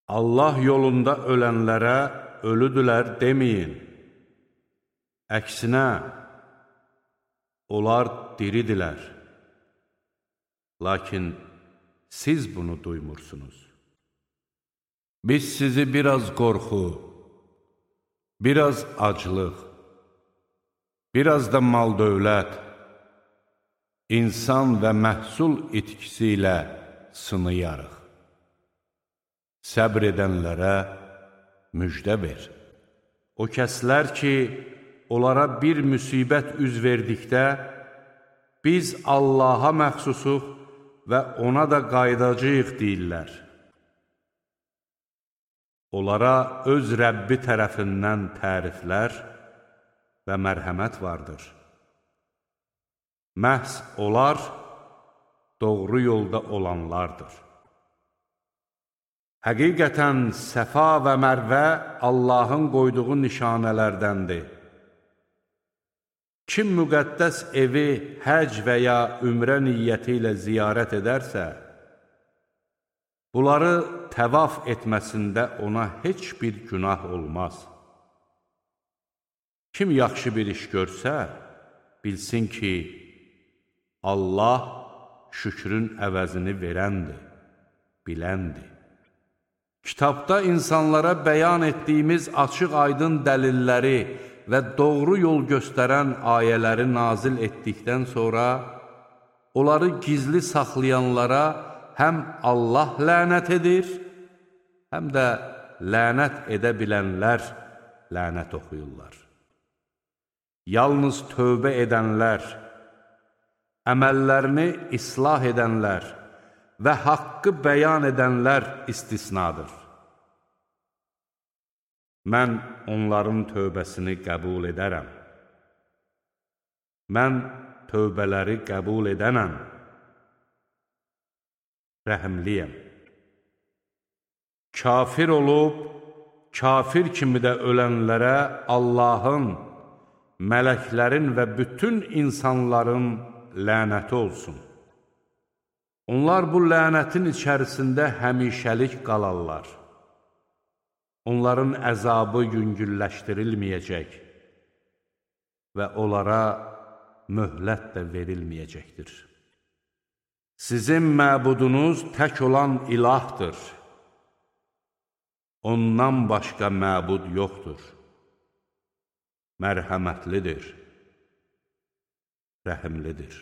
Allah yolunda ölənlərə ölüdülər deməyin. Əksinə, onlar diridilər. Lakin siz bunu duymursunuz. Biz sizi biraz qorxu, biraz aclıq, biraz da mal-dövlət, insan və məhsul itkisi ilə sınayarıq. Səbr edənlərə müjdə ver. O kəslər ki, onlara bir müsibət üz verdikdə, biz Allaha məxsusuq və ona da qaydacağıq deyirlər. Onlara öz Rəbbi tərəfindən təriflər və mərhəmət vardır. Məhz onlar doğru yolda olanlardır. Həqiqətən Səfa və Mərvə Allahın qoyduğu nişanələrdəndir. Kim müqəddəs evi həc və ya ümrə niyyəti ilə ziyarət edərsə, bunları təvaf etməsində ona heç bir günah olmaz. Kim yaxşı bir iş görsə, bilsin ki, Allah şükrün əvəzini verəndir, biləndir. Kitabda insanlara bəyan etdiyimiz açıq-aydın dəlilləri və doğru yol göstərən ayələri nazil etdikdən sonra, onları gizli saxlayanlara həm Allah lənət edir, həm də lənət edə bilənlər lənət oxuyurlar. Yalnız tövbə edənlər, əməllərini islah edənlər və haqqı bəyan edənlər istisnadır. Mən onların tövbəsini qəbul edərəm. Mən tövbələri qəbul edənəm. Rəhimliyəm. Kafir olub, kafir kimi də ölənlərə Allahın, mələklərin və bütün insanların lənəti olsun. Onlar bu lənətin içərisində həmişəlik qalarlar. Onların əzabı yüngülləşdirilməyəcək və onlara möhlət də verilməyəcəkdir. Sizin məbudunuz tək olan ilahdır. Ondan başqa məbud yoxdur. Mərhəmətlidir, rəhimlidir.